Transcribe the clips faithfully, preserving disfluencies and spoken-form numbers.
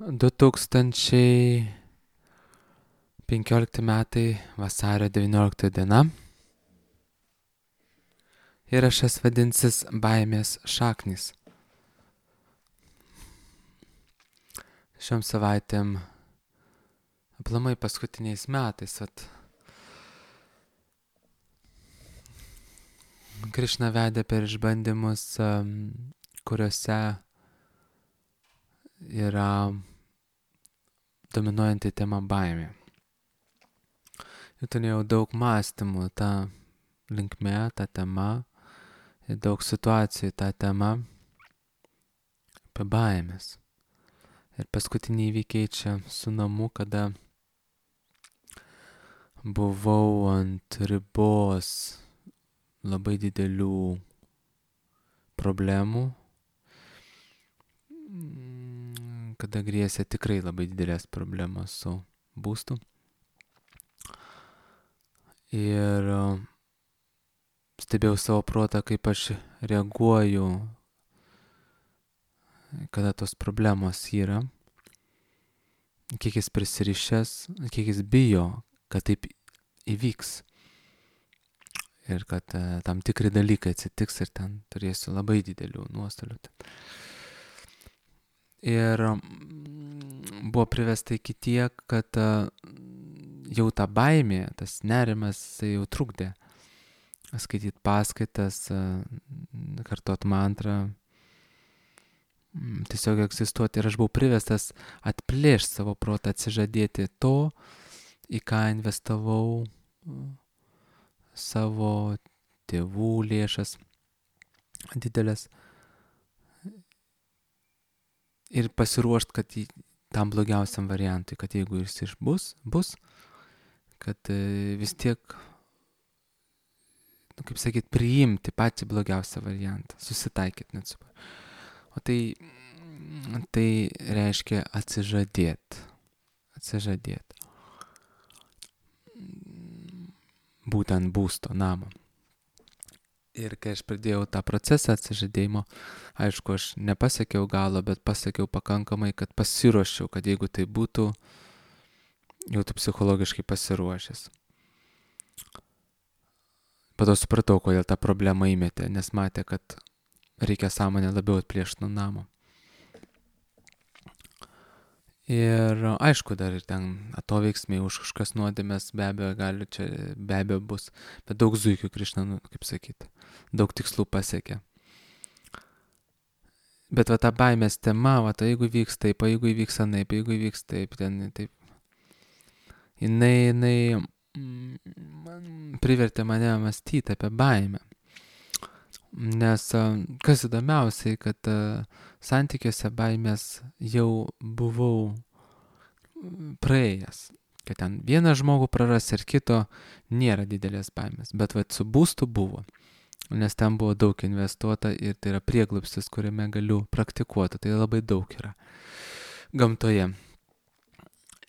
du tūkstančiai penkiolikti metai vasario devyniolikta diena. Įrašas vadinsis baimės šaknys. Šiom savaitėm, aplamai paskutiniais metais, at Krišna vedė per išbandymus, kuriuose yra dominuojanti tema baimė. Ir turėjau daug mąstymų tą linkme, tą temą, ir daug situacijų tą temą apie baimės. Ir paskutiniai įvykiai čia su namu, kada buvau ant ribos labai didelių problemų, kada grėsė tikrai labai didelės problemos su būstu. Ir stebėjau savo protą, kaip aš reaguoju, kada tos problemos yra, kiek jis prisirišęs, kiek jis bijo, kad taip įvyks. Ir kad uh, tam tikri dalykai atsitiks ir ten turėsiu labai didelių nuostolių. Ir um, buvo privesta iki tiek, kad uh, jau ta baimė, tas nerimas, tai jau trukdė skaityti paskaitas, uh, kartot mantrą, tiesiog egzistuoti. Ir aš buvau privestas atplėšti savo protą, atsižadėti to, į ką investavau uh, savo tėvų lėšas didelės ir pasiruošti, kad į, tam blogiausiam variantui, kad jeigu jis išbus, bus, kad e, vis tiek, nu, kaip sakyt, priimti patį blogiausią variantą, susitaikyti net su. O tai, tai reiškia atsižadėti, atsižadėti. Būtent būsto, namo. Ir kai aš pradėjau tą procesą atsižadėjimo, aišku, aš nepasiekiau galo, bet pasiekiau pakankamai, kad pasiruošiau, kad jeigu tai būtų, jau tu psichologiškai pasiruošęs. Po to supratau, kodėl tą problemą įmetė, nes matė, kad reikia sąmonę labiau atplėšti nuo namo. Ir aišku, dar ir ten atoveiksmiai už kažkas nuodėmės, be abejo, gali čia, be abejo bus, bet daug zuikių Krišna, nu, kaip sakyti, daug tikslų pasiekė. Bet va ta baimės tema, va ta jeigu vyks taip, jeigu įvyks anaip, jeigu įvyks taip, ten taip, jinai, jinai mm, privertė mane mąstyti apie baimę. Nes kas įdomiausiai, kad uh, santykiuose baimės jau buvau praėjęs. Kad ten vieną žmogų praras ir kito nėra didelės baimės. Bet vat su būstu buvo. Nes ten buvo daug investuota ir tai yra prieglobstis, kuriame galiu praktikuoti. Tai labai daug yra gamtoje.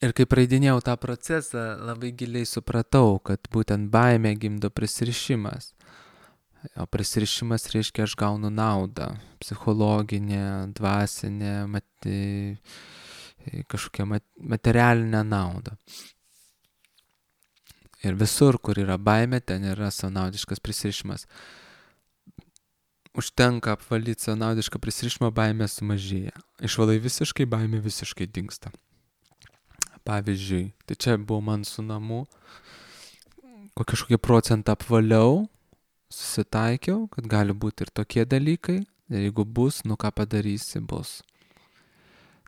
Ir kai praeidinėjau tą procesą, labai giliai supratau, kad būtent baimė gimdo prisirišimas. O prisirišimas reiškia, aš gaunu naudą, psichologinę, dvasinę, mati, kažkokią materialinę naudą. Ir visur, kur yra baimė, ten yra savanaudiškas prisirišimas. Užtenka apvalyti savanaudišką prisirišimą, baimė sumažėja. Išvalai visiškai, baimė visiškai dingsta. Pavyzdžiui, tai čia buvo man su namu, kažkokį procentą apvaliau, susitaikiau, kad gali būti ir tokie dalykai, ir jeigu bus, nu ką padarysi, bus.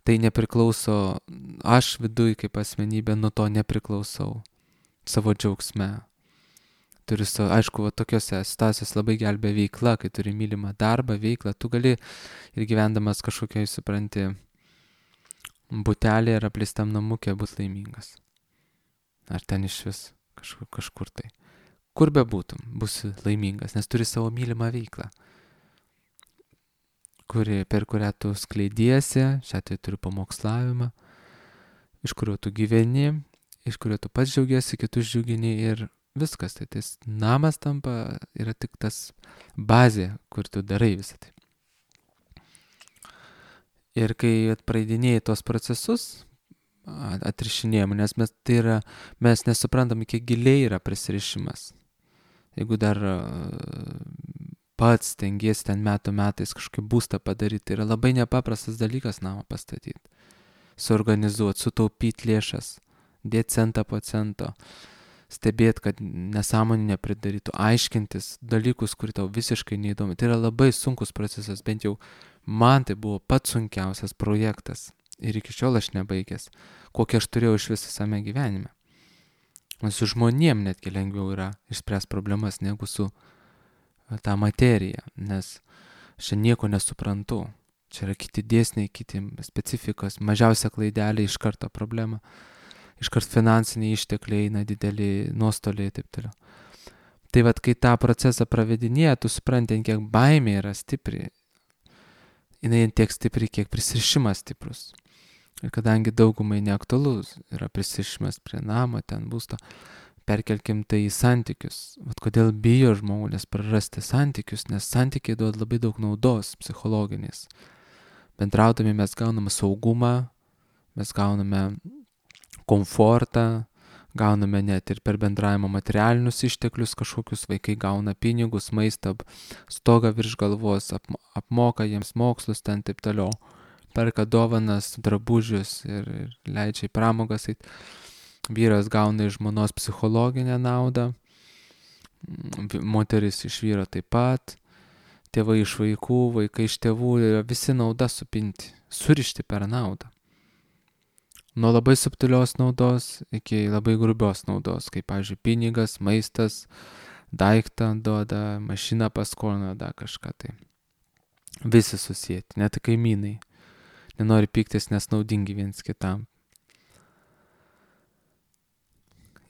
Tai nepriklauso, aš viduj kaip asmenybė nuo to nepriklausau savo džiaugsme. Turiu, aišku, va, tokiose situacijose labai gelbė veikla, kai turi mylimą darbą, veiklą, tu gali ir gyvendamas kažkokiai, supranti, butelė ir apleistam namukė būt laimingas. Ar ten iš vis kažkur, kažkur tai. Kur be būtum, būsi laimingas, nes turi savo mylimą veiklą, kuri, per kurią tu skleidiesi, šią tai turi pamokslavimą, iš kurio tu gyveni, iš kurio tu pats džiaugiesi, kitus džiugini ir viskas. Tai tas namas tampa, yra tik tas bazė, kur tu darai visą tai. Ir kai praeidinėjai tos procesus, atrišinėjimą, nes mes, tai yra, mes nesuprantam, kiek giliai yra prisirišimas. Jeigu dar pats tengiesi ten metų metais kažkaip būstą padaryti, tai yra labai nepaprastas dalykas namą pastatyti, suorganizuoti, sutaupyti lėšas, dėti centą po cento, stebėti, kad nesąmonį nepridarytų, aiškintis dalykus, kurie tau visiškai neįdomi. Tai yra labai sunkus procesas, bent jau man tai buvo pats sunkiausias projektas ir iki šiol aš nebaigęs, kokį aš turėjau iš visame gyvenime. Su žmonėm netgi lengviau yra išspręsti problemas negu su ta materija, nes aš nieko nesuprantu. Čia yra kiti dėsniai, kiti specifikos, mažiausia klaidelė iš karto problema, iš karto finansiniai ištekliai eina dideli nuostoliai ir taip toliau. Tai vat, kai tą procesą pravedinėja, tu supranti, kiek baimė yra stipri, jinai tiek stipri, kiek prisirišimas stiprus. Ir kadangi daugumai neaktualus yra prisirišimas prie namo, ten būsto, perkelkim tai į santykius. Vat kodėl bijo žmonės prarasti santykius, nes santykiai duoda labai daug naudos psichologinės. Bendraudami mes gauname saugumą, mes gauname komfortą, gauname net ir per bendravimą materialinius išteklius kažkokius, vaikai gauna pinigus, maistą, stogą virš galvos, ap, apmoka jiems mokslus ten taip toliau, perka dovanas, drabužius ir, ir leidžia į pramogas. Vyras gauna iš žmonos psichologinę naudą, moteris iš vyro taip pat, tėvai iš vaikų, vaikai iš tėvų, visi nauda supinti, surišti per naudą. Nuo labai subtilios naudos iki labai grubios naudos, kaip, pavyzdžiui, pinigas, maistas, daiktą duoda, mašiną paskolina, da kažką tai. Visi susijęti, net kaimynai. Nenori pyktis, nes naudingi viens kitam.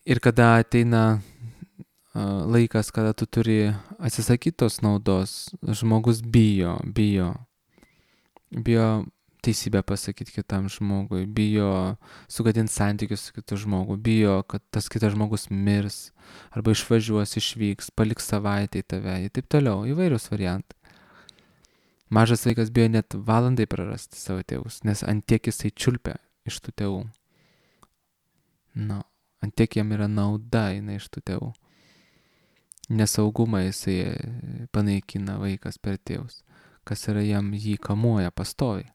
Ir kada ateina uh, laikas, kada tu turi atsisakyti tos naudos, žmogus bijo, bijo, bijo teisybę pasakyti kitam žmogui, bijo sugadinti santykius su kitu žmogu, bijo, kad tas kitas žmogus mirs, arba išvažiuos, išvyks, paliks savaitę į tave, ir taip toliau, įvairius variantai. Mažas vaikas bijo net valandai prarasti savo tėvus, nes ant tiek jisai čiulpia iš tų tėvų. Nu, ant tiek jam yra nauda jinai iš tų tėvų. Nesaugumą jisai panaikina vaikas per tėvus, kas yra jam jį kamuoja pastoviai.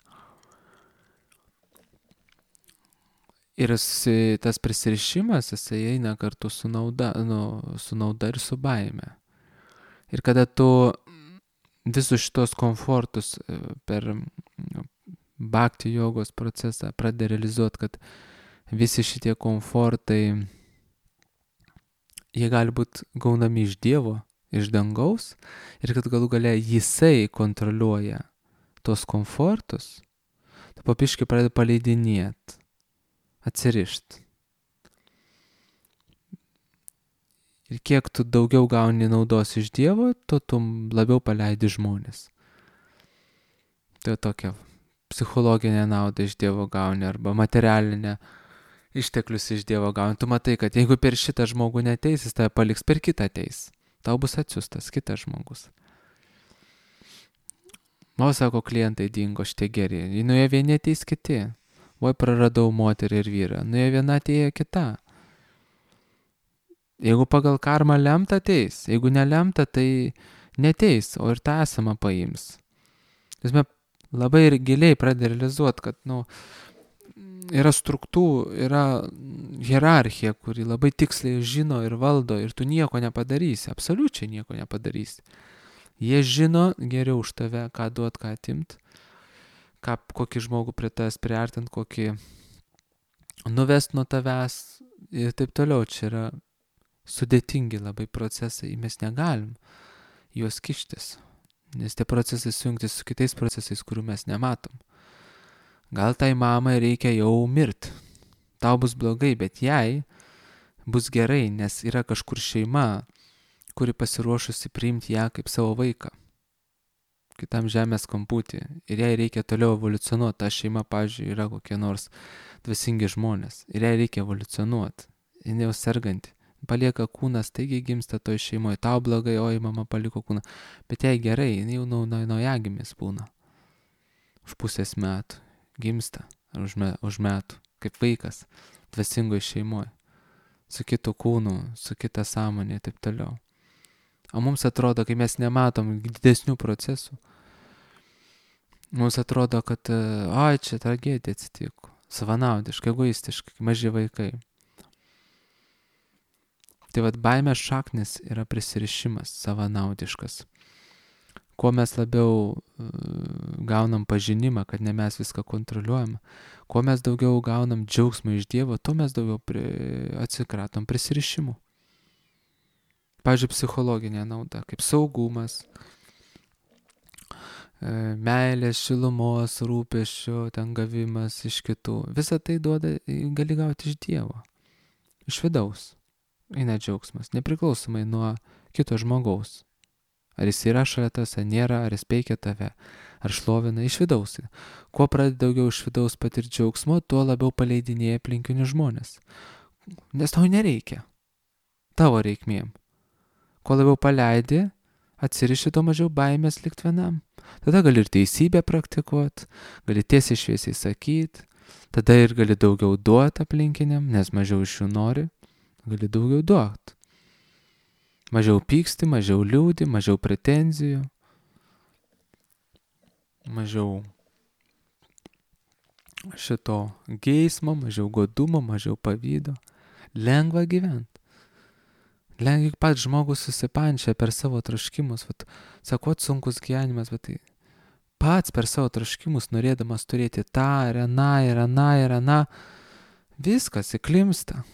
Ir tas prisirišimas, jisai eina kartu su nauda, nu, su nauda ir su baime. Ir kada tu visus šitos komfortus per bhakti jogos procesą pradedi realizuoti, kad visi šitie komfortai, jie gali būti gaunami iš Dievo, iš dangaus, ir kad galų gale jisai kontroliuoja tos komfortus, tu papiškai pradedi paleidinėti, atsirišti. Ir kiek tu daugiau gauni naudos iš Dievo, tu, tu labiau paleidi žmonės. Tai tokia psichologinė nauda iš Dievo gauni, arba materialinė išteklius iš Dievo gauni. Tu matai, kad jeigu per šitą žmogų neteis, jis tave paliks, per kitą ateis. Tau bus atsiųstas kitas žmogus. O, sako, klientai dingo, šitie geri. Nuėjo vieni, ateis kiti. Oi, praradau moterį ir vyrą. Nuėjo viena, atėjo kita. Jeigu pagal karmą lemta, ateis. Jeigu nelemta, tai neteis, o ir tą esamą paims. Jis labai ir giliai pradeda realizuoti, kad, nu, yra struktūra, yra hierarchija, kuri labai tiksliai žino ir valdo, ir tu nieko nepadarysi, absoliučiai nieko nepadarysi. Jie žino geriau už tave, ką duot, ką atimt, ką, kokį žmogų prie tavęs priartint, kokį nuvest nuo tavęs ir taip toliau. Čia yra sudėtingi labai procesai, mes negalim juos kištis, nes tie procesai sujungti su kitais procesais, kurių mes nematom. Gal tai mamai reikia jau mirti, tau bus blogai, bet jai bus gerai, nes yra kažkur šeima, kuri pasiruošusi priimti ją kaip savo vaiką, kitam žemės kamputį, ir jai reikia toliau evoliucionuoti. Ta šeima, pavyzdžiui, yra kokie nors dvasingi žmonės, ir jai reikia evoliucionuoti, jinai jau serganti, palieka kūną, staigiai gimsta toj šeimoje, tau blogai, oi, mama paliko kūną, bet jai gerai, jinai jau naujagimis būna už pusės metų, gimsta už, me, už metų, kaip vaikas, dvasingoje šeimoje, su kitu kūnu, su kita sąmonė ir taip toliau. O mums atrodo, kai mes nematom didesnių procesų, mums atrodo, kad, oi, čia tragedija atsitiko, savanaudiškai, egoistiškai, maži vaikai. Tai vad baimės šaknis yra prisirišimas savanaudiškas. Kuo mes labiau uh, gaunam pažinimą, kad ne mes viską kontroliuojam, kuo mes daugiau gaunam džiaugsmą iš Dievo, tuo mes daugiau pri, atsikratom prisirišimų. Pavyzdžiui, psichologinė nauda, kaip saugumas, meilės, šilumos, rūpesčio, ten gavimas iš kitų. Visą tai duoda, gali gauti iš Dievo, iš vidaus. Eina džiaugsmas, nepriklausomai nuo kito žmogaus. Ar jis yra šalia tas, ar nėra, ar jis peikia tave, ar šlovina iš vidaus. Kuo pradedi daugiau iš vidaus patirti džiaugsmo, tuo labiau paleidinėja aplinkinius žmonės. Nes tau nereikia. Tavo reikmėm. Kuo labiau paleidi, atsiriši, to mažiau baimės likt vienam. Tada gali ir teisybę praktikuoti, gali tiesiai šviesiai sakyti, tada ir gali daugiau duoti aplinkiniam, nes mažiau iš jų nori, gali daugiau duoti. Mažiau pyksti, mažiau liūdi, mažiau pretenzijų, mažiau šito geismo, mažiau godumo, mažiau pavydo. Lengva gyventi. Lengva pats žmogus susipančia per savo troškimus. Vat, sakot, sunkus gyvenimas, bet tai pats per savo troškimus, norėdamas turėti tą ir aną ir aną ir aną, viskas įklimsta.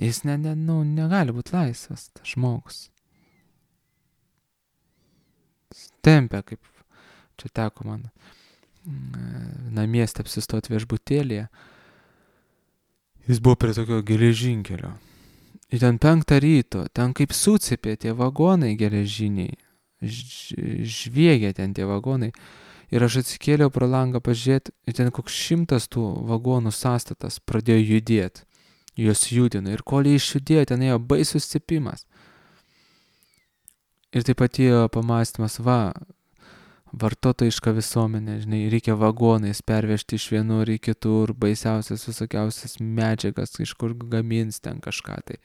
Jis ne, ne, nu, negali būti laisvas, tas žmogus. Tempia, kaip čia teko man namieste apsistoti viešbutėlėje. Jis buvo prie tokio geležinkelio. Ir ten penktą ryto, ten kaip sucipė tie vagonai geležiniai, žviegia ten tie vagonai. Ir aš atsikėliau pro langą pažiūrėti, ir ten koks šimtas tų vagonų sąstatas pradėjo judėti. Jos judino. Ir kol jie išjudėjo, ten ėjo baisus cipimas. Ir taip atėjo pamastymas, va, vartotojiška visuomenė, žinai, reikia vagonais pervežti iš vienur į kitur, baisiausias visokiausias medžiagas, iš kur gamins ten kažką tai.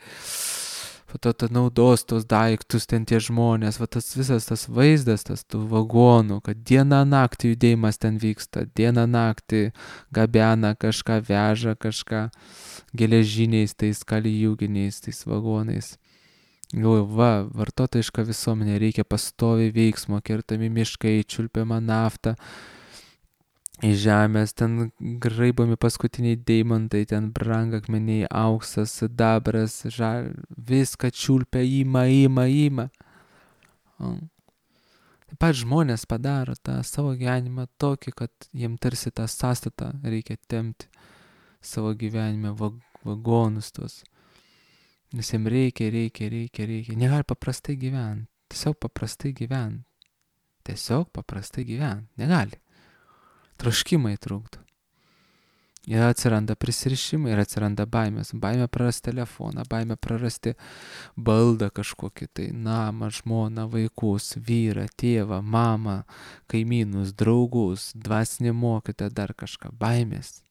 Po to ta naudos tos daiktus ten tie žmonės, va tas visas tas vaizdas, tas tų vagonų, kad dieną naktį judėjimas ten vyksta, dieną naktį gabena kažką, veža kažką geležiniais, tais kalijuginiais, tais vagonais. Galvoju, va, vartotojiška visuomenė, reikia pastoviai veiksmo, kertami miškai, čiulpiama nafta, iš žemės, ten graibomi paskutiniai deimantai, ten brangakmeniai, auksas, sidabras, žal, viską čiulpia, ima, ima, ima. O. Taip pat žmonės padaro tą savo gyvenimą tokį, kad jiem tarsi tą sąstatą reikia tempti savo gyvenime, vagonus tuos. Nes jiems reikia, reikia, reikia, reikia. Negali paprastai gyventi. Tiesiog paprastai gyventi. Tiesiog paprastai gyventi. Negali. Troškimai trukdo. Ir atsiranda prisirišimai, ir atsiranda baimės. Baimė prarasti telefoną, baimė prarasti baldą kažkokį tai, namą, žmoną, vaikus, vyrą, tėvą, mamą, kaimynus, draugus, dvasinį mokytoją, dar kažką. Baimės.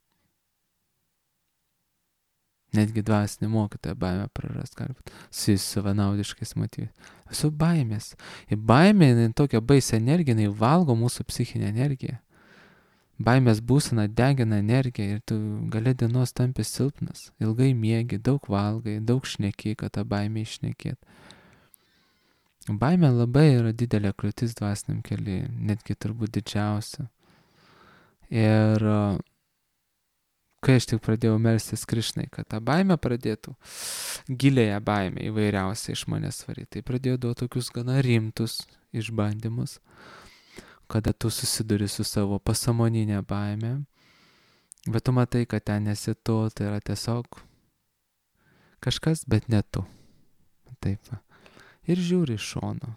Netgi dvasinį mokytoją baimę prarast, gali būti su savanaudiškais motyvais. Visų baimės. Ir baimė, jinai tokia baisi energija, jinai valgo mūsų psichinę energiją. Baimės būsena degina energiją ir tu gali dienos tampi silpnas. Ilgai miegi, daug valgai, daug šneki, kad tą baimę išnekėt. Baimė labai yra didelė kliūtis dvasiniam kely, netgi turbūt didžiausia. Ir kai aš tik pradėjau melstis Krišnai, kad tą baimę pradėtų, gilėją baimę įvairiausiai iš manęs varyti, tai pradėjau duoti tokius gana rimtus išbandymus, kada tu susiduri su savo pasąmoninė baimė, bet tu matai, kad ten nesi tu, tai yra tiesiog kažkas, bet ne tu. Taip. Ir žiūri iš šono.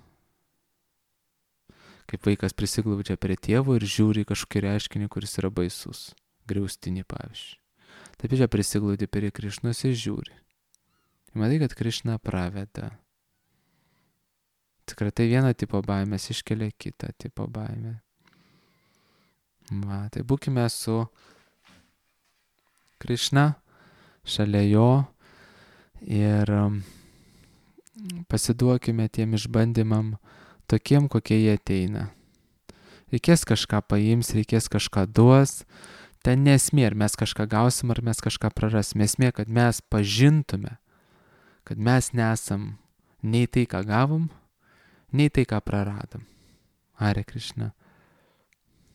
Kaip vaikas prisiglaudžia prie tėvo ir žiūri kažkokį reiškinį, kuris yra baisus. Griaustinį, pavyzdžiui. Taip čia prisiglaudi prie Krišnos ir žiūri. Ir matai, kad Krišna praveda. Tikrai tai vieną tipo baimės iškelia kitą tipo baimę. Va, tai būkime su Krišna, šalia jo ir pasiduokime tiem išbandymam tokiem, kokie jie ateina. Reikės kažką paims, reikės kažką duos. Ten nesmė, ar mes kažką gausim, ar mes kažką prarasim. Esmė, kad mes pažintume, kad mes nesam nei tai, ką gavom, nei tai, ką praradom. Hare Krishna.